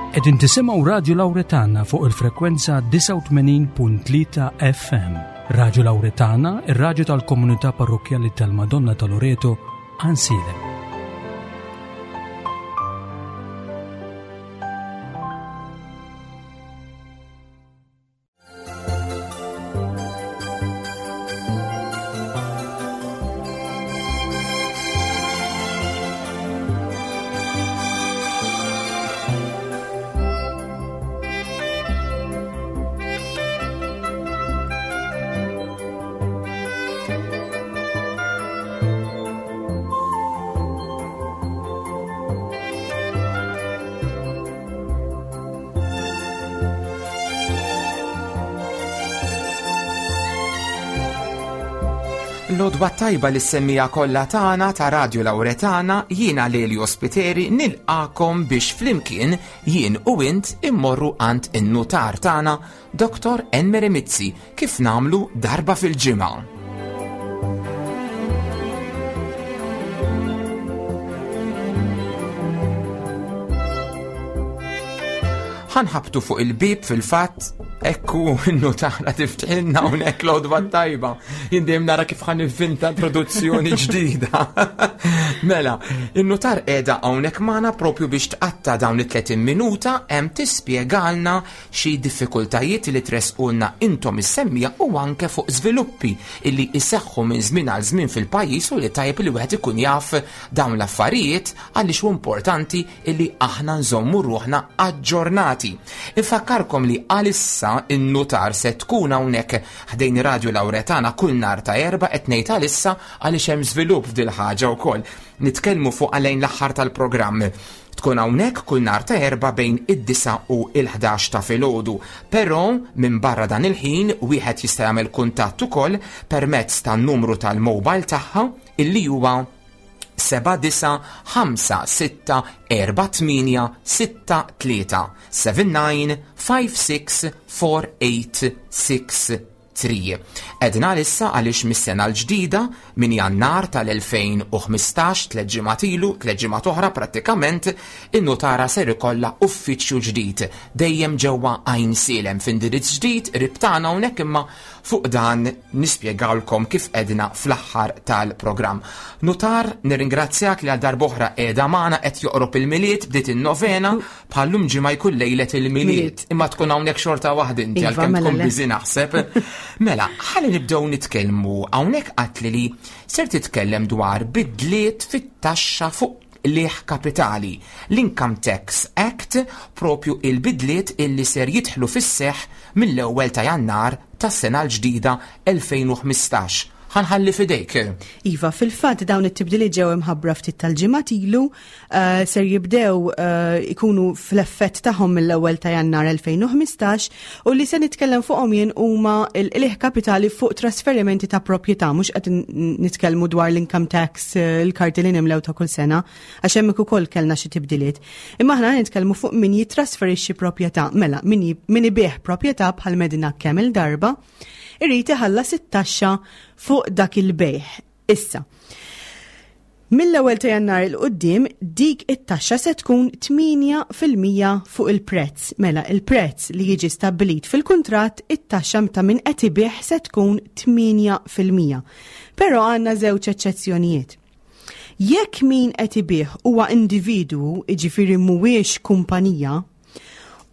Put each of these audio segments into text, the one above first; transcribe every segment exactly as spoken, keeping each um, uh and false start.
Qegħdin tisimgħu Radio Lauretana fuq il-frekwenza disgħa u tmenin punt tlieta F M. Radio Lauretana, ir-raġu tal-komunità parrokjali tal-Madonna ta' Loreto, Għajnsielem. L-għodwa t-tajba lis-semmiegħa kollha tagħna ta' Radio Lauretana. Jiena Lelio Spiteri nilqagħkom biex flimkien jien u int immorru għand in-nutar tagħna Doktor Enmeri Mizzi, kif nagħmlu darba fil-ġimgħa. Ħa nħabbtu fuq il-bib fil-fatt, ekku n-nutara tiftħilna hawnhekk. L-għodwa t-tajba. Jien dejjem nara kif ħa nivvinta introduzzjoni ġdida. Mela, in-nutar qiegħda hawnhekk magħna propju biex tqatta' dawn it-tletin minuta hemm tispjegalna xi diffikultajiet li tressqulna intom is-semmiegħa u anke fuq żviluppi illi iseħħu minn żmien għal żmien fil-pajjiż u li tajjeb li wieħed ikun jaf dawn l-affarijiet, għaliex hu importanti illi aħna nżommu ruħna aġġornati. Infakkarkom li għalissa in-nutar se tkun hawnhekk ħdejn Radio Lauretana kull nhar ta' Erbgħa. Qed ngħid għalissa għaliex hemm żvilupp f'dil ħaġa wkoll. Nitkellmu fuq għalejn l-aħħar tal-programm. Tkun hawnhekk kull nhar ta' Erbgħa bejn id-disgħa u il-ħdax ta' filgħodu. Però minn barra dan il-ħin wieħed jista' jagħmel kuntatt ukoll permezz tan-numru tal-mobile tagħha, illi huwa seba' disgħa ħamsa sitta erba' tmienja sitta tlieta, seven nine five six four eight six three. Għedna issa għaliex mis-sena l-ġdida, minn Jannar tal-elfejn u ħmistax, tliet ġimgħat ilu, tliet ġimgħat oħra prattikament, in-nutara ser ikollha uffiċċju ġdid dejjem ġewwa Għajnsielem, f'indirizz ġdid qrib tagħna hawnhekk, imma fuq dan nispjegawlkom kif għedna fl-aħħar tal-programm. Nutar, nirringrazzjak li għal darb'oħra qiegħda magħna. Qed joqrob il-Milied, bdiet in-novena, bħallum ġimgħa jkun lejlet il-Milied, imma tkun hawnhekk xorta waħda inti Iva, għalkemm mela tkun le. busy naħseb. Mela, ħalli nibdew nitkellmu. Hawnhekk għedtli li ser titkellem dwar bidliet fit-taxxa fuq qligħ kapitali, l-Income Tax Act, propju il-bidliet illi ser jidħlu fis-seħ mill-ewwel ta' Jannar tas-sena l-ġdida elfejn u ħmistax. Ħa nħalli f'idejk. Iva, fil-fatt dawn it-tibdiliet ġew imħabbra ftit tal-ġimgħat ilu, uh, ser jibdew uh, ikunu fl-effett tagħhom mill-ewwel ta' Jannar elfejn u ħmistax, u li se nitkellem fuqhom jien huma l-qligħ kapitali fuq trasferimenti ta' proprjetà. Mhux qed nitkellmu dwar l-income tax, eh, il-karti li nimlew ta' kull sena, għax hemmhekk ukoll kellna xi tibdiliet. Imma aħna nitkellmu fuq min jitrasferixxi proprjetà, mela min min ibigħ proprjetà bħal medina kemm il-darba, irrid iħallas it-taxxa fuq dak il-bejħ. Issa, mill-ewwel ta' Jannar 'il quddiem dik it-taxxa se tkun tmienja fil-mija fuq il-prezz. Mela il-prezz li jiġi stabbilit fil-kuntratt, it-taxxa ta' min qed ibigħ se tkun tmienja fil-mija. Però għandna żewġ eċċezzjonijiet. Jekk min qed ibigħ huwa individwu, jiġifieri mhuwiex kumpanija,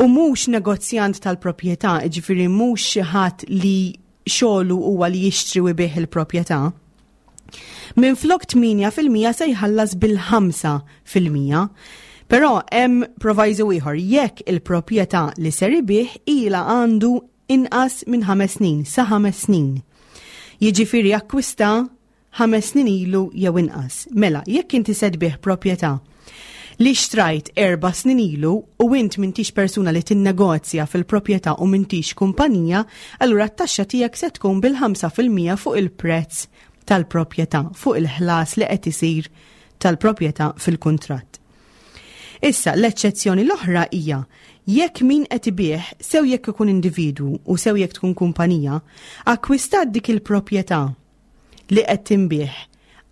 u mhux negozjant tal-proprjetà, jiġifieri mhux xi ħadd li xogħlu huwa li jixtri u jbigħ il-proprjetà, minn flok tmienja fil-mija se jħallas bil-ħamsa fil-mija. Però hemm proviso ieħor: jekk il-proprjetà li ser ibigħ ilha għandu inqas minn ħames snin, sa ħames snin. Jiġifieri akkwista ħames snin ilu jew inqas. Mela, jekk inti se tbigħ proprjetà li xtrajt erba' snin ilu u int m'intix persuna li tinnegozja fil-proprjetà u m'intix kumpanija, allura t-taxxa tiegħek se tkun bil-ħamsa fil-mija fuq il-prezz tal-proprjetà, fuq il-ħlas li qed isir tal-proprjetà fil-kuntratt. Issa, l-eċċezzjoni l-oħra hija jekk min qed ibigħ, sew jekk ikun individwu u sew jekk tkun kumpanija, akkwistat dik il-proprjetà li qed tinbiegħ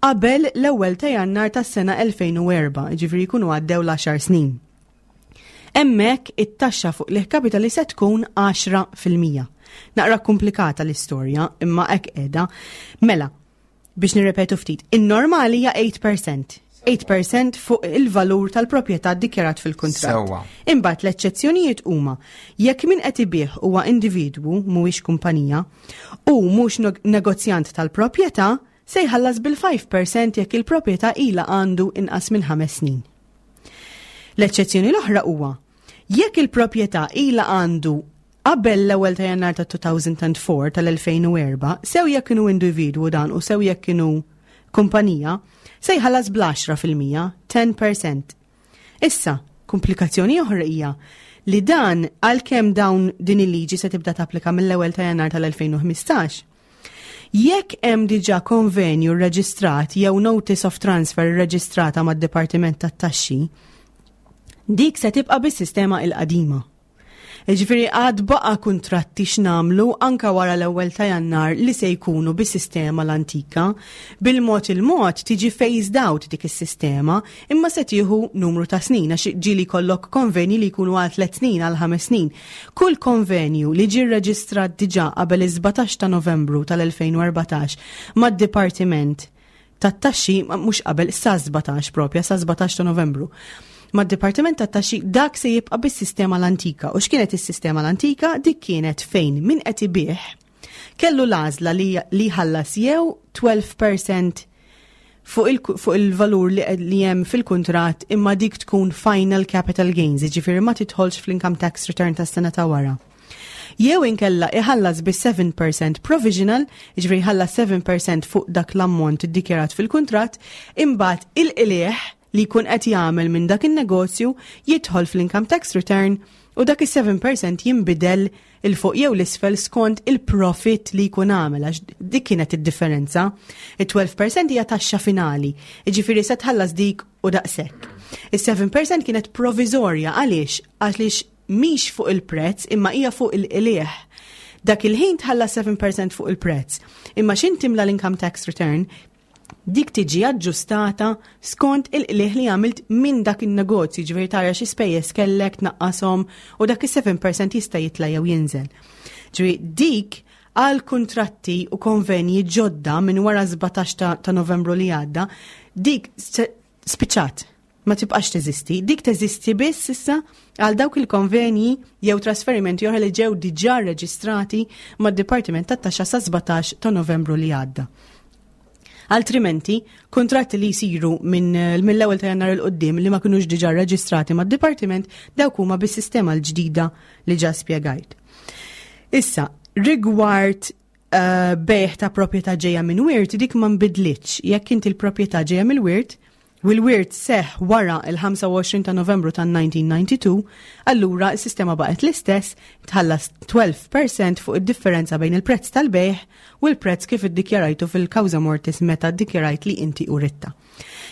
qabel l-ewwel ta' Jannar tas-sena elfejn u erbgħa, ġifieri jkunu għaddew l-għaxar snin. Hemmhekk it-taxxa fuq qligħ kapitali se tkun għaxra fil-mija. Naqra komplikata l-istorja, imma hekk qiegħda. Mela, biex nirrepetu ftit, in-normali hija tmienja fil-mija. tmienja fil-mija fuq il-valur tal-proprjetà dikjarat fil-kuntratt. Sewwa. Imbagħad l-eċċezzjonijiet huma jekk min qed ibih huwa individwu, mhuwiex kumpanija, u mhux negozjant tal-proprjetà, se jħallas bil-ħamsa fil-mija jekk il-proprjetà ilha għandu inqas minn ħames snin. L-eċċezzjoni l-oħra huwa jekk il-proprjetà ilha għandu qabel l-ewwel ta' Jannar ta' elfejn u erbgħa, tal-elfejn u erbgħa, sew jekk kienu individwu dan u sew jekk kienu kumpanija, se jħallas bl-għaxra fil-mija, għaxra fil-mija. Issa, komplikazzjoni oħra hija li dan, għalkemm dawn din il-liġi se tibda tapplika mill-ewwel ta' Jannar tal-elfejn u ħmistax, jekk hemm diġà konvenju rreġistrat jew notice of transfer rreġistrata mad-Dipartiment tat-Taxxi, dik se tibqa' bis-sistema il-qadima. Ġifieri għad baqa kontratti x'namlu anka wara l-ewwel ta' Jannar li se jkunu bis-sistema l-antika. Bil-mod il-mod tiġi phased out dik is-sistema, imma se tieħu numru ta' snin, għax ġieli jkollok konvenji li jkunu għal tliet snin, għal ħames snin. Kull konvenju li ġi rreġistrat diġà qabel is-sbatax ta' Novembru tal-elfejn u erbatax mad-Dipartiment tat-Taxxi, mhux qabel, sa sbatax propja, sa sbatax ta' Novembru mad-Dipartiment tat-Taxxi, dak se jibqa' bis-sistema l-antika. U x'kienet is-sistema l-antika? Dik kienet fejn min qed ibih kellu l-għażla li li jħallas jew tnax fil-mija fuq il- fuq il-valur li, li hemm fil-kuntratt, imma dik tkun final capital gains, jiġifieri ma tidħolx fl-income tax return tas-sena ta' wara. Jew inkella iħallas bi seba' fil-mija provisional, jiġifieri jħallas seba' fil-mija fuq dak l-ammont iddikjarat fil-kuntratt, imbagħad il-qligħ li jkun qed jagħmel minn dak in-negozju jidħol fl-income tax return u dak is-seba' fil-mija jinbidel 'il fuq jew 'l isfel skont il-profit li jkun għamel, għax dik kienet id-differenza. Il-tnax fil-mija hija taxxa finali, jiġifieri se tħallas dik u daqshekk. Is-seba' fil-mija kienet provizorja. Għaliex? Għaliex mhix fuq il-prezz imma hija fuq il-qligħ. Dak il-ħin tħallas seba' fil-mija fuq il-prezz. Imma x'ħin timla l-income tax return, dik tiġi aġġustata skont il-qligħ li għamilt minn dak il-negozju, ġifieri tara xi spejjeż kellek, tnaqqashom u dak is-seba' fil-mija jista' jitla' jew jinżel. Ġifieri dik għal kontratti u konvenji ġodda minn wara sbatax ta', ta Novembru li għadda, dik spiċċat, ma tibqax teżisti. Dik teżisti biss issa għal dawk il-konvenji jew trasferimenti oħra li ġew diġà reġistrati mad-Dipartiment tat-Taxxa sa sbatax ta' Novembru li għadda. Altrimenti, kontratti li jisiru minn mill-ewwel ta' Jannar 'il quddiem li ma kinux diġà reġistrati mad-dipartiment, dawk huma bis-sistema l-ġdida li ġa spjegajt. Issa, rigward uh, bejgħ ta' proprjetà ġejja minn wirt, dik ma nbidlitx. Jekk inti l-proprjetà ġejja mill-wirt, u l-wirt seħ wara il-ħamsa u għoxrin ta' Novembru ta' elf disa' mija u disgħa u disgħin, allura s-sistema baqgħet l-istess, tħallas tnax fil-mija fuq id-differenza bejn il-prezz tal-bejgħ u l-prezz kif iddikjarajtu fil-kawża mortis meta ddikjarajt li inti uritta.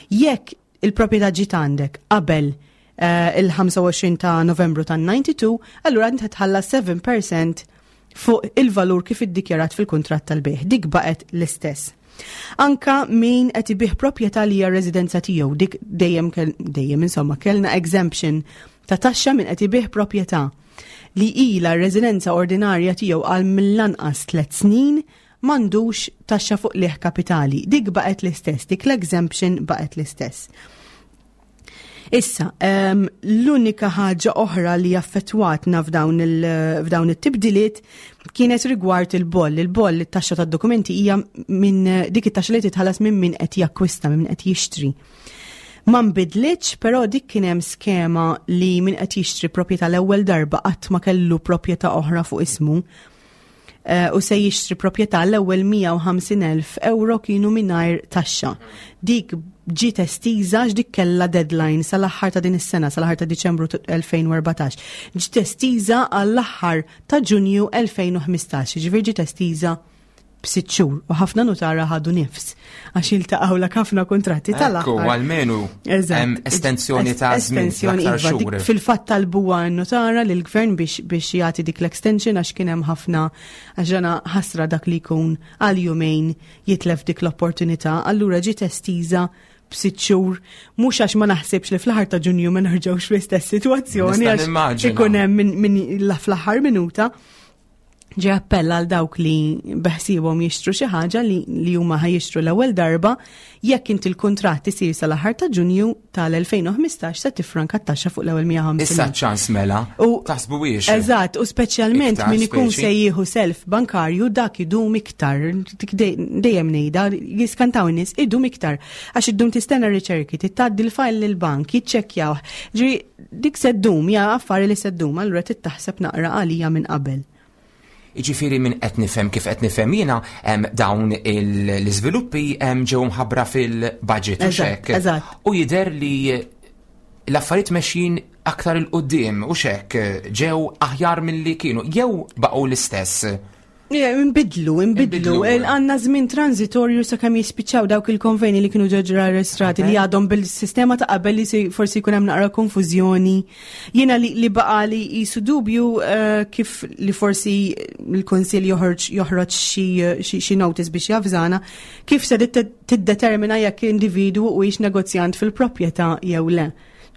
Jekk il-proprjetà ġiet għandek qabel uh, il-ħamsa u għoxrin ta' Novembru ta' disgħa u disgħin, allura inti tħallas seba' fil-mija fuq il-valur kif iddikjarat fil-kuntratt tal-bejgħ. Dik baqgħet l-istess. Anka min qed ibih proprjetà li hija residenza tiegħu, dik dejjem dejjem insomma kellna exemption ta' taxxa min qed ibih proprjetà li ilha residenza ordinarja tiegħu għal mill-anqas tliet snin m'għandux taxxa fuq qligħ kapitali. Dik baqgħet l-istess, dik l-exemption baqgħet l-istess. Issa, um, l-unika ħaġa oħra li affettwatna f'dawn il- it-tibdiliet kienet rigward il-boll. Il-boll, it-taxxa tad-dokumenti, hija minn dik it-taxxa li titħallas minn min qed jakkwista, minn min qed jixtri. Ma nbidlitx, però dik kien hemm skema li min qed jixtri proprjetà l-ewwel darba, qatt ma kellu proprjetà oħra fuq ismu, Eh, u se jixtri proprjetà, l-ewwel mija u ħamsin elf euro kienu mingħajr taxxa. Dik ġiet estiża, dik kellha deadline sal-aħħar ta' din is-sena, sal-aħħar ta' Diċembru elfejn u erbatax. Ġiet estiża għall-aħħar ta' Ġunju elfejn u ħmistax, ġifieri ġiet estiża b'sitt xhur u ħafna nutara ħadu nifs għax iltaqgħu l ħafna kontratti tal-aħħar. Almenu hemm estensjoni ta' żmien. Estensjoni, iva, fil-fatt talbuha n-nutara lill-gvern biex biex jagħti dik l-extension, għax kien hemm ħafna, għax ġana ħasra dak li jkun għal jumejn jitlef dik l-opportunità, allura ġiet estiża b'sitt xhur, mhux għax ma naħsibx li fl-aħħar ta' Ġunju ma nerġgħux fl-istess sitwazzjoni Nista' għax nimmaġina. ikun hemm minn min fl-aħħar minuta. Ġe appella għal dawk li beħsibhom jixtru xi ħaġa li, li huma ħa jixtru l-ewwel darba, jekk inti l-kuntratt isir sal-aħħar ta' Ġunju tal-elfejn u ħmistax se tifranka t-taxxa fuq l-ewwel mija u ħamsin. Issa ċans mela, U- taħsbu wiex. Eżatt, u speċjalment Iktar min ikun speċi. se jieħu self bankarju, dak idum iktar. Dik dej- Dejjem ngħidha, jiskantaw in-nies, idum iktar. Għax iddum tistenna riċerki, tgħaddi l-file lill-bank, jiċċekkjaw. Ġri dik se ddum, ja affari li se ddum, allura tittaħseb naqra għalija minn qabel. Iġifieri minn qed nifhem kif qed nifhem jiena em, dawn il- l-iżviluppi em, ġew mħabbra fil-budget u Eżatt, xek. eżatt. U jidher li l-affarijiet mexjin aktar 'il quddiem u xek ġew aħjar mill-li kienu jew baqgħu l-istess. Imbidlu, imbidlu. Imbidlu. Għandna żmien transitorju sakemm jispiċċaw dawk il-konveni li kienu ġeġra arrestrati li għadhom bil-sistema ta' qabel li si- forsi jkun hemm naqra konfużjoni. Jiena li, li baqa li jisu dubju eh, kif li forsi l-Kunsill joħroġ joħroġ xi xi- xi notice biex javżana kif se tiddetermina jekk individwu huwiex negozjant fil-proprjetà jew le.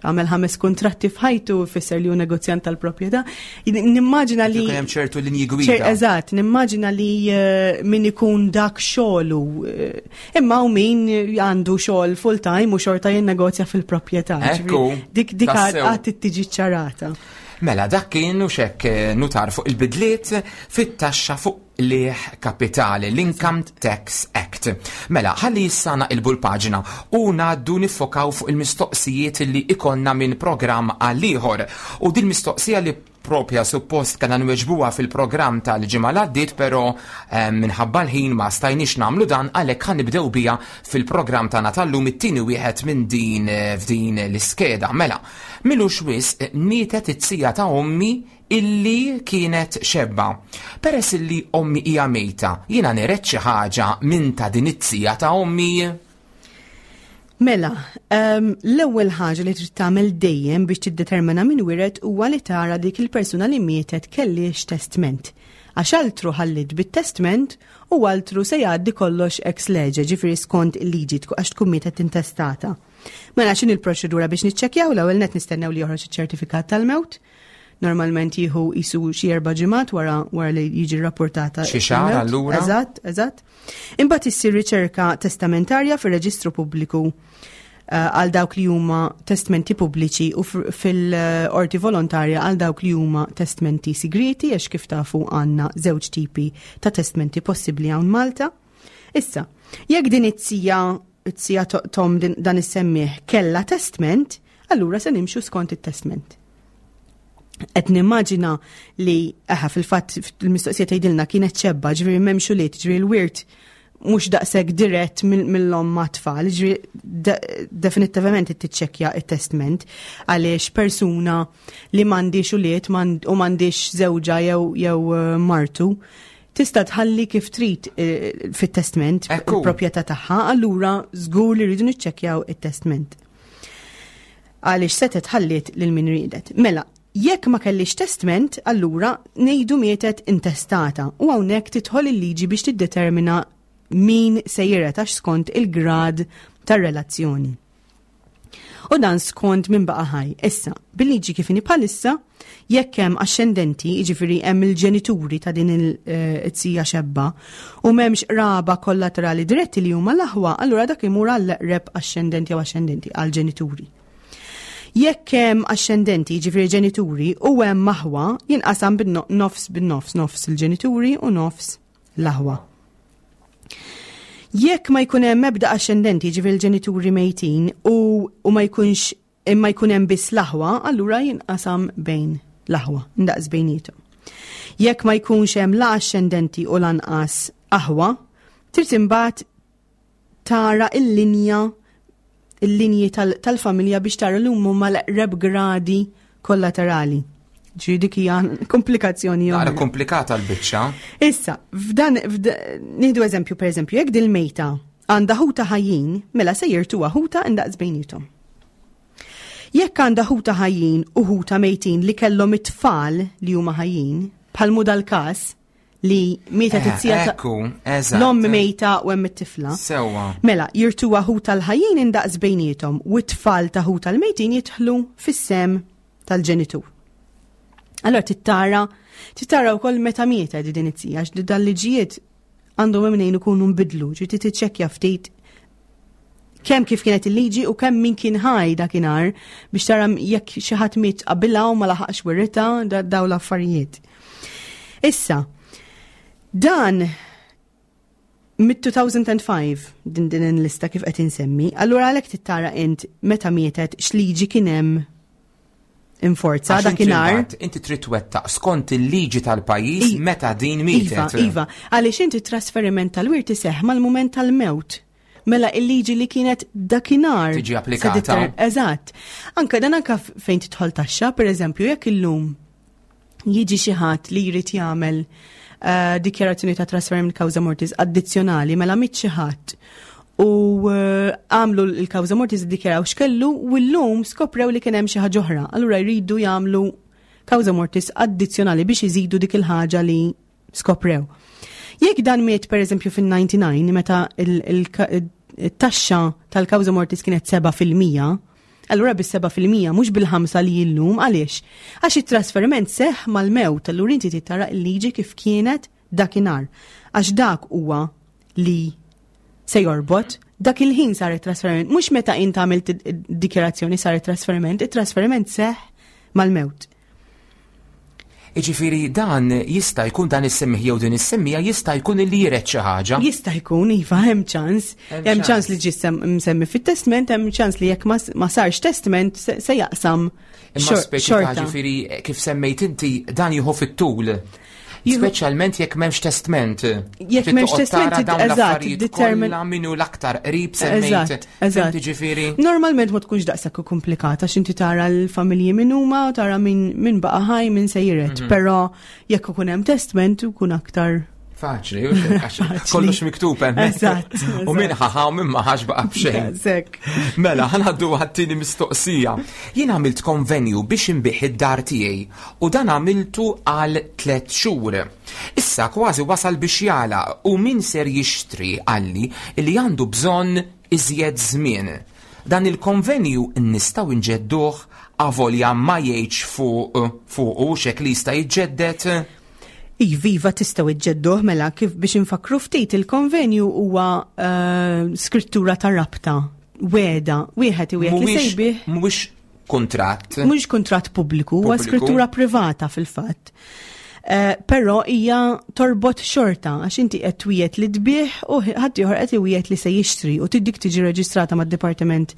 Għamel ħames kontratti f'ħajtu fisser li hu negozjant tal-proprjetà. Nimmaġina li Jkun hemm ċertu linji ċer- gwida. Eżatt, nimmaġina li eh, min ikun dak xogħlu, eh, imma u min għandu xogħol full time u xorta jinnegozja fil-proprjetà. Ekku, Ġifieri, Dik dik tassew. għad tiġi ċarata. Mela, dak kien u xek eh, nutar fuq il-bidliet fit-taxxa fuq qligħ kapitali, l-Income Tax Act. Mela, ħalli issa naqilbu l-paġna u ngħaddu niffokaw fuq il-mistoqsijiet li ikollna minn programm għal ieħor. U din mistoqsija li propja suppost kellna nweġbuha fil-programm tal-ġimgħa li għaddiet, però eh, minħabba l-ħin ma stajniex nagħmlu dan, għalhekk ħa nibdew biha fil-programm tagħna tal-lum, it-tieni wieħed minn din eh, f'din l-iskeda. Mela, m'ilux wisq mietet it-tija ta' ommi illi kienet xebba. Peress illi ommi hija mejta, jiena niret xi ħaġa minn ta' din it-tija ta' ommi? Mela, um, l-ewwel ħaġa li trid tagħmel dejjem biex tiddetermina min wiret huwa li tara dik il-persuna li mietet kellix testment. Għax altru ħallit bit-testment u altru se jgħaddi kollox ex lege, ġifieri skont il-liġi tku- għax tkun mietet intestata. Mela, x'inhi l-proċedura biex niċċekkjaw? L-ewwel net nistennew li joħroġ iċ-ċertifikat tal-mewt. Normalment jieħu jisu xi erba' ġimgħat wara wara li jiġi rrapportata. Xi xahar il-mewt. allura? Eżatt, eżatt. Imbagħad issir riċerka testamentarja fir-reġistru pubbliku eh, għal dawk li huma testmenti pubbliċi u fr- fil-qorti volontarja għal dawk li huma testmenti sigriti, għax kif tafu għandna żewġ tipi ta' testmenti possibbli hawn Malta. Issa, jekk din it-tija it-tija to- tom din- dan is-semmieħ kella testment, allura se nimxu skont it-testment. Qed nimmaġina li eħa fil-fatt il-mistoqsija tgħidilna kienet xebba, ġifieri m'hemmx ulied, ġifieri l-wirt mhux daqshekk dirett mill- mill-omm ma' tfal, ġifieri de- definitivament tiċċekkja it-testment għaliex persuna li m'għandix ulied m'għand- u m'għandix żewġa jew jew eh, martu tista' tħalli kif trid eh, fit-testment Ekku. il-proprjetà tagħha, allura żgur li rridu niċċekkjaw it-testment għaliex setet ħalliet lil min riedet. Mela, jekk ma kellix testment, allura ngħidu mietet intestata u hawnhekk tidħol il-liġi biex tiddetermina min se jiret għax skont il-grad tar-relazzjoni. U dan skont min baqa ħaj. Issa, bil-liġi kif inhi bħalissa, jekk hemm axxendenti, jiġifieri hemm il-ġenituri ta' din il-tija xebba, u m'hemmx qraba kollaterali diretti li huma l-aħwa, allura dak imur għall-eqreb axxendenti jew axxendenti, għall-ġenituri. Jekk hemm axxendenti, jiġifieri ġenituri, u hemm aħwa, jinqasam bin-nofs bin-nofs, nofs il-ġenituri u nofs l-aħwa. Jekk ma jkun hemm ebda axxendenti, jiġifieri l-ġenituri mejtin, u, u ma jkunx imma jkun hemm biss l-aħwa, allura jinqasam bejn l-aħwa, ndaqs bejniethom. Jekk ma jkunx hemm la axxendenti u lanqas aħwa, trid imbagħad tara il-linja il-linji tal- tal-familja biex tara li huma l-eqreb gradi kollaterali. Ġifieri dik hija komplikazzjoni Naqra oħra. komplikata l-biċċa. Issa, f'dan, f'd- nieħdu eżempju, per eżempju, jekk dil-mejta għandha ħuta ħajjin, mela se jirtuha ħuta indaqs bejnietom. Jekk għandha ħuta ħajjin u ħuta mejtin li kellhom it-tfal li huma ħajjin, bħal mu dal-każ, Li mietet Eh, it-tija ta' Ekku, eżatt. l-omm mejta u hemm it-tifla. Sewwa. Mela, jirtuha ħuta l-ħajjin indaqs bejniethom u t-tfal ta' ħuta l-mejtin jidħlu fis-sehem tal-ġenitur. Allora tittara, tittara wkoll meta mietet din it-tija, għax dal-liġijiet għandhom mnejn ikunu nbidlu, ġi tiċċekkja ftit kemm kif kienet il-liġi u kemm min kien ħaj dakinhar biex tara jekk xi ħadd miet qabilha u ma laħaqx wirritha da- daw l-affarijiet. Issa, dan mid-elfejn u ħamsa din din il-lista kif qed insemmi, allura għalhekk tittara int meta mietet x'liġi kien hemm inforza Għax inti dakinhar. mbagħad inti trid twettaq skont il-liġi tal-pajjiż I- meta din Iva, mietet. iva, għaliex inti trasferiment tal-wirt iseħħ mal-mument tal-mewt. Mela il-liġi li kienet dakinhar. Tiġi applikata. se titer- Eżatt. Anka dan anka f- fejn tidħol taxxa, per eżempju, jekk illum jiġi xi ħadd li jrid jagħmel eh, dikjarazzjoni ta' trasferiment causa mortis addizzjonali mela miet xi ħadd u eh, għamlu l-causa mortis iddikjaraw x'kellu u llum skoprew li kien hemm xi ħaġa oħra. Allura jridu jagħmlu causa mortis addizzjonali biex iżidu dik il-ħaġa li skoprew. Jekk dan miet per eżempju fin-disgħa u disgħin meta il-taxxa tal-causa mortis kienet seba' fil-mija, allura bis-seba' fil-mija mhux bil-ħamsa li illum. Għaliex? Għax it-trasferiment seħ mal-mewt, allura inti tara l-liġi kif kienet dakinhar. Għax dak huwa li se jorbot, dak il-ħin sar it-trasferiment, mhux meta int għamilt id-dikjarazzjoni sar it-trasferiment, it-trasferiment seħ mal-mewt. Iġifieri dan jista' jkun dan is-semmieħ jew din is-semmija jista' jkun li jiret xi ħaġa. Jista' jkun, iva, hemm ċans. Hemm Hemm ċans ċans. li ġie sem- msemmi fit-testament, hemm ċans li jekk ma ma sarx testament se se jaqsam Imma xor- speċi ta' xorta. ġifieri eh, kif semmejt inti dan jieħu fit-tul. Jieħu- Speċjalment jekk m'hemmx testament. Jekk m'hemmx Trid toqgħod testament, tara dawn eżatt, l-affarijiet determin- kollha min hu l-aktar qrib semmejt. Eżatt, eżatt. Fhimt ġifieri? Normalment ma tkunx daqshekk komplikata għax inti tara l-familji min huma u tara min min baqa' ħaj min se jiret, Mhm. però jekk ikun hemm testament ikun aktar Faċli, u xek, għax Faċli. kollox miktub hemmhekk. Eżatt, U min eżatt. ħaħa u min ma ħax baqa' b'xejn. Sekk. Mela, ħa ngħaddu għat-tieni mistoqsija. Jien għamilt konvenju biex inbigħ id-dar tiegħi u dan għamiltu għal tliet xhur. Issa kważi wasal biex jagħlaq u min ser jixtri qalli li għandu bżonn iżjed żmien. Dan il-konvenju nistgħu nġedduh avolja ma jgħidx fuq fuq u xek li jista' jiġġedded. Iva, iva, tistgħu iġġedduh. Mela kif biex infakru ftit, il-konvenju huwa eh, skrittura ta' rabta, wegħda, wieħed iwiegħed li se jbigħ. Mhuwiex kuntratt. Mhux kuntratt pubbliku, huwa Pubbliku. skrittura privata fil-fatt. Uh, però hija torbot xorta għax inti qed twiegħed li tbigħ u ħadd ieħor qed iwiegħed li se jixtri u dik tiġi reġistrata mad-Dipartiment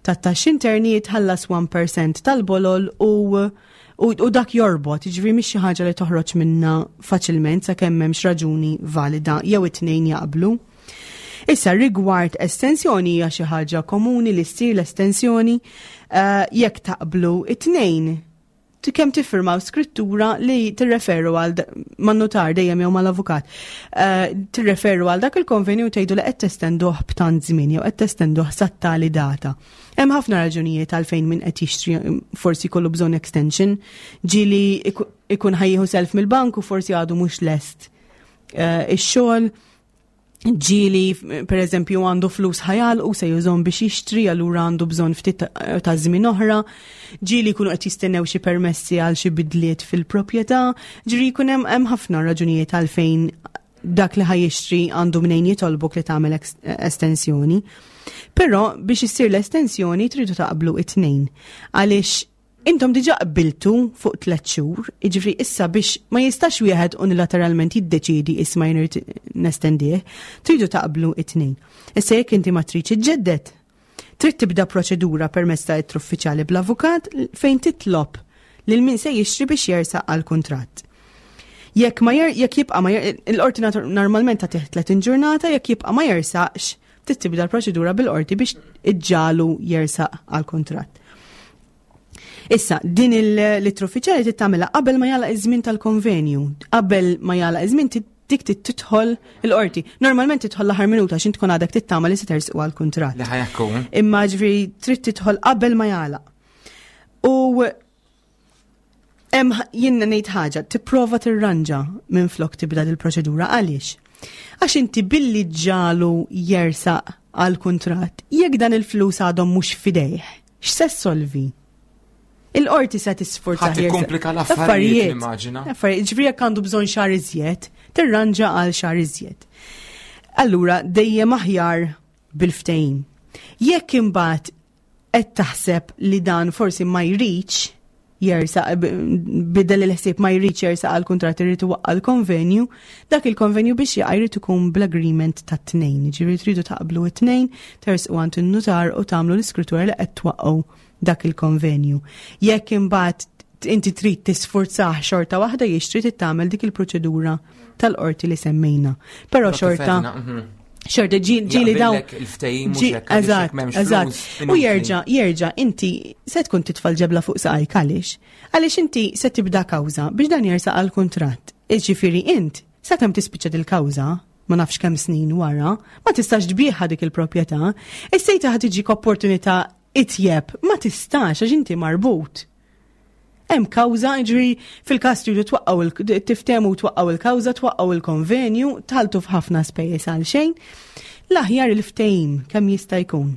tat-Taxxi Interni, jitħallas wieħed fil-mija tal-bolol u u, u dak jorbot, jiġifieri mhix xi ħaġa li toħroġ minna faċilment sakemm m'hemmx raġuni valida jew it-tnejn jaqblu. Issa rigward estensjoni, hija xi ħaġa komuni li ssir l-estensjoni uh, jekk taqblu it-tnejn kemm tiffirmaw skrittura li tirreferu għal man-notar dejjem jew mal-avukat. Uh, tirreferu għal dak il-konvenju u tgħidu li qed testenduh b'tant żmien jew qed testenduh sat-tali data. Hemm ħafna raġunijiet għalfejn min qed jixtri forsi jkollu bżonn extension, ġieli ikun ħa jieħu self mill-bank u forsi għadu mhux lest uh, ix-xogħol, ġieli per eżempju għandu flus ħajal u se jużahom biex jixtri, allura għandu bżonn ftit ta' żmien oħra, ġieli jkunu qed jistennew xi permessi għal xi bidliet fil-proprjetà, ġieli jkun hemm hemm ħafna raġunijiet għalfejn dak li ħa jixtri għandu mnejn jitolbok li tagħmel estensjoni. Però biex issir l-estensjoni tridu taqblu it-tnejn. Għaliex intom diġa qbiltu fuq tliet xhur, jiġifieri issa biex ma jistax wieħed unilateralment jiddeċidi, "Isma', jien irrid nestendih", tridu taqblu it-tnejn. Issa jekk inti ma tridx iġġedded, trid tibda proċedura permezz ta' uffiċjali bl-avukat fejn titlob lil min se jixtri biex jersaq għal kuntratt. Jekk ma jer, jekk jibqa' ma jer, il-qorti normalment ta' tletin ġurnata, jekk jibqa' ma jersaqx, trid tibda l-proċedura bil-qorti biex iġġagħlu jersaq għal kuntratt. Issa, din l-ittra uffiċjali tittamela qabel ma jagħlaq iż-żmien tal-konvenju. Qabel ma jagħlaq iż-żmien dik tidħol il-qorti. Normalment tidħol l-aħħar minuta x'int tkun għadek tittama li se tersqu għall-kuntratt. Li ħa jkun. Imma ġifieri trid tidħol qabel ma jagħlaq. U Hemm jiena ngħid ħaġa, tipprova tirranġa minn flok tibda il-proċedura. Għaliex? Għax inti billi ġġagħlu jersaq għal kuntratt, jekk dan il-flus għadhom mhux fidejh, x'se ssolvi? Il-qorti se tisforza. Ħa tikkomplika l-affarijiet, nimmaġina. Affarijiet, ġifieri jekk għandu bżonn xahar iżjed, tirranġa għal xahar iżjed. Allura dejjem aħjar bil-ftehim. Jekk imbagħad qed taħseb li dan forsi ma jridx jersaq, bidel il-ħsieb, ma jridx jersaq għal kuntratt, irid iwaqqa' l-konvenju, dak il-konvenju biex jaqa' jrid ikun bl-agreement ta' tnejn. Ġifieri tridu taqblu it-tnejn, tersqu għand in-nutar u tagħmlu l-iskrittura li qed twaqqgħu dak il-konvenju. Jekk imbagħad inti trid tisfurzah xorta waħda jixtri, trid tagħmel dik il-proċedura tal-qorti li semmejna. Però xorta mhm. xorta ġieli daw. Il-ftehim mhux hekk, għaliex Eżatt, jekk m'hemmx eżatt. flus, U inutli. jerġa', jerġa', inti se tkun titfa' l-ġebla fuq saqajk. Għaliex? Għaliex inti se tibda kawża biex dan jersaq għal kuntratt. Iġifieri int, sakemm tispiċċa dil-kawża, ma nafx kemm snin wara, ma tistax tbigħha dik il-proprjetà, issa ħa tiġik opportunità itjeb, ma tistax għax inti marbut. Hemm kawża, ġifieri fil-każ tridu twaqqgħu il- tiftehmu twaqqgħu il-kawża, twaqqgħu il-konvenju, tidħlu f'ħafna spejjeż għal xejn. L-aħjar il-ftehim kemm jista' jkun.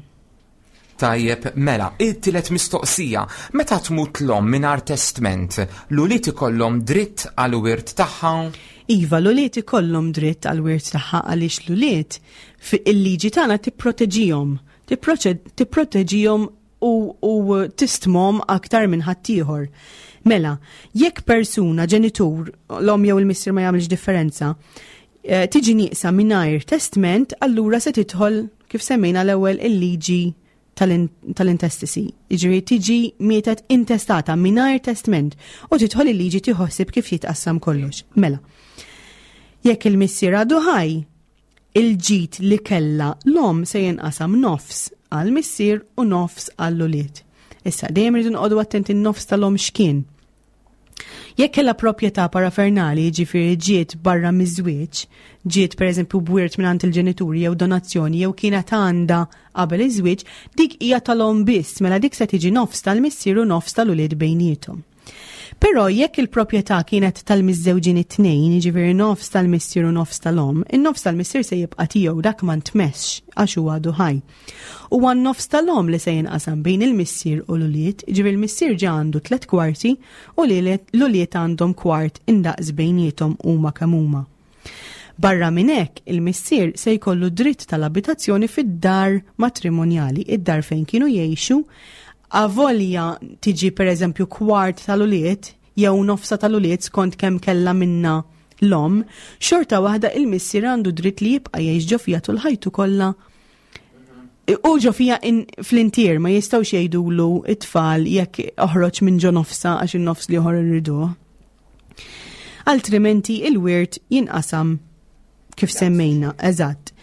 Tajjeb, mela, it-tielet mistoqsija. Meta tmut l-omm mingħajr testment, l-ulied ikollhom dritt għal wirt tagħha? Iva, l-ulied ikollhom dritt għal wirt tagħha għaliex l-ulied fi il-liġi tagħna tipproteġihom, tipproċe- tipproteġihom u, u tistmahom aktar minn ħaddieħor. Mela, jekk persuna, ġenitur, l-om jew il-missier ma jagħmilx differenza, eh, tiġi nieqsa mingħajr testment, allura se tidħol kif semmejna l-ewwel il-liġi tal-in- tal-intestacy. Jiġifieri tiġi mietet intestata mingħajr testment u tidħol il-liġi tieħu ħsieb kif jitqassam kollox. Mela, jekk il-missier għadu ħaj, il-ġid li kella l-om se jinqasam nofs għal-missier u nofs għall-ulied. Issa, dejjem rridu nqogħdu attenti n-nofs tal-om x'kien. Jekk kellha proprjetà parafernali, ġifieri ġiet barra miż-żwieġ, ġiet pereżempju b'wirt mingħand il-ġenituri jew donazzjoni jew kienet għandha qabel iż-żwieġ, dik hija tal-om biss, mela dik se tiġi nofs tal-missier u nofs tal-ulied bejniethom. Però jekk il-proprjetà kienet tal-miżżewġin it-tnejn, jiġifieri nofs tal-missier u nofs tal-om, in-nofs tal-missier se jibqa' tiegħu, dak ma ntmessx għax huwa għadu ħaj. U għan-nofs tal-om li se jinqasam bejn il-missier u l-ulied, jiġifieri il-missier ġa għandu tliet kwarti u l-ulied għandhom kwart indaqs bejniethom huma kemm huma. Barra minn hekk, il-missier se jkollu dritt tal-abitazzjoni fid-dar matrimonjali, id-dar fejn kienu jgħixu, avolja tiġi per eżempju kwart tal-ulied jew nofsa tal-ulied skont kemm kella minna l-om, xorta waħda il-missier għandu dritt li jibqa' jgħix ġo fiha tul ħajtu kollha. U ġo fiha fl-intier ma jistgħux jgħidulu it-tfal jekk oħroġ minn ġo nofsa għax in-nofs l-ieħor irriduh. Altrimenti il-wirt jinqasam kif semmejna, eżatt.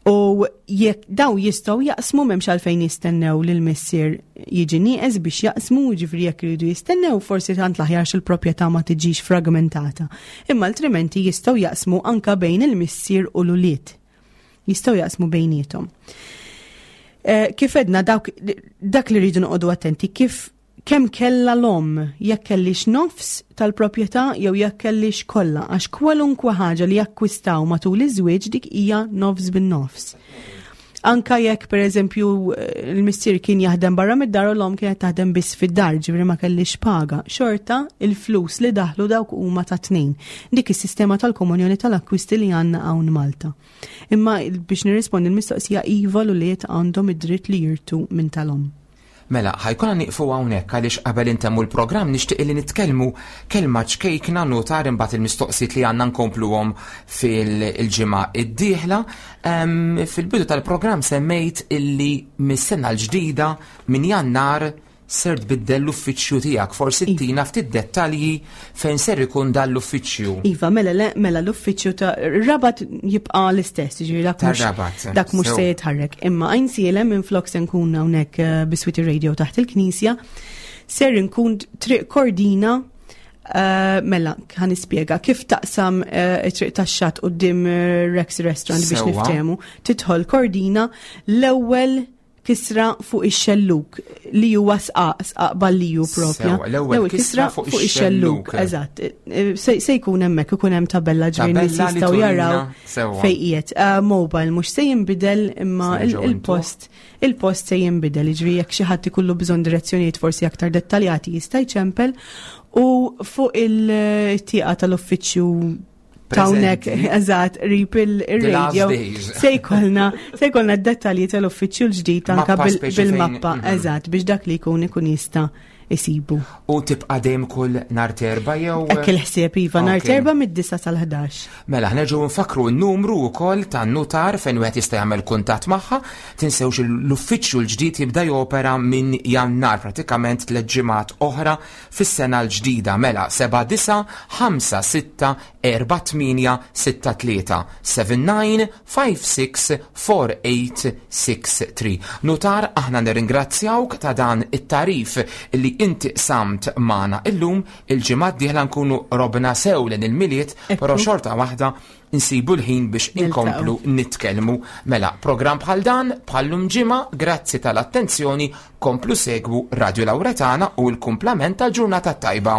U jekk daw jistgħu jaqsmu, m'hemmx għalfejn jistennew lil missier jiġi nieqes biex jaqsmu, ġifieri jekk iridu jistennew forsi tant l-aħjar il-proprjetà ma tiġix fragmentata. Imma altrimenti jistgħu jaqsmu anka bejn il-missier u l-ulied. Jistgħu jaqsmu bejniethom. Eh, kif edna dawk, dak li rridu noqogħdu attenti kif kemm kella l-om, jekk kellix nofs tal-proprjetà jew jekk kellix kollha, għax kwalunkwe ħaġa li jakkwistaw matul iż-żwieġ dik hija nofs bin-nofs. Anka jekk pereżempju il-missier kien jaħdem barra mid-dar u l-om kienet taħdem biss fid-dar, ġifieri ma kellix paga, xorta il-flus li daħlu dawk huma ta' tnejn. Dik is-sistema tal-komunjoni tal-akkwisti li għandna hawn Malta. Imma biex nirrispondi l-mistoqsija, iva, l-ulied għandhom id-dritt li jirtu minn tal-om. Mela, ħa jkollna nieqfu hawnhekk għaliex qabel intemmu l-programm nixtieq li nitkellmu kelma ċkejkna, nutar, imbagħad il-mistoqsijiet li għandna nkompluhom fil-ġimgħa id-dieħla. Fil-bidu tal-programm semmejt illi mis-sena l-ġdida, minn Jannar, ser tbiddel l-uffiċċju tiegħek. Forsi tina ftit dettalji fejn ser ikun dan l-uffiċċju. Iva, mela le, mela l-uffiċċju ta' Rabat jibqa' l-istess, ġifieri dak mhux Tar-Rabat. dak mhux Sew. se jitħarrek. Imma Għajnsielem minn flok se nkun hawnhekk eh, biswit ir-radio taħt il-Knisja, ser nkun Triq Kordina. Uh, mela, ħa nispjega kif taqsam uh, it-triq tax-xatt quddiem uh, Rex Restaurant biex Sewwa. niftehmu. Tidħol Kordina, l-ewwel Kisra fuq ix-xelluk li huwa sqaq, Sqaq Balliju propja. Sewa, l-ewwel kisra fuq ix-xelluk. Eżatt. Se se jkun hemmhekk, ikun hemm tabella, ġifieri nies Tabella li jistgħu turina jaraw sewwa. fejn qiegħed. Uh, mobile mhux se jinbidel, imma Se il- nerġgħu il-post il-post se jinbidel, ġifieri jekk xi ħadd ikollu bżonn direzzjonijiet forsi aktar dettaljati jista' jċempel, u fuq il-tieqa tal-uffiċċju t'hawnhekk, Preżenti. eżatt, qrib The last il-radio days. se jkollna se jkollna d-dettalji tal-uffiċċju l-ġdid anka Mappa bil- speċi fejn- bil-mappa, mhm. eżatt, biex dak li jkun ikun jista' isibu. U tibqa' dejjem kull nhar t'Erbgħa jew? Hekk il-ħsieb, iva, nhar Ok. t'Erbgħa mid-disa sal-ħdax. Mela, ħa nerġgħu nfakru n-numru wkoll tan-nutar fejn wieħed jista' jagħmel kuntatt magħha. Tinsewx l-uffiċċju l-ġdid jibda jopera minn Jannar, pratikament tliet ġimgħat oħra fis-sena l-ġdida. Mela, seba' disa' ħamsa sitta erba' tmienja sitta tlieta, seven nine five six four eight six three. Nutar, aħna nirringrazzjawk ta' dan it-tagħrif li inti qsamt magħna illum. Il-ġimgħa d-dieħla nkunu qrobna sew lejn il-Milied, Ekku. però xorta waħda insibu l-ħin biex inkomplu nitkellmu. Mela, program bħal dan, bħal-lum ġimgħa, grazzi tal-attenzjoni, komplu segwu Radio Lauretana u l-kumplament tal-ġurnata tajba.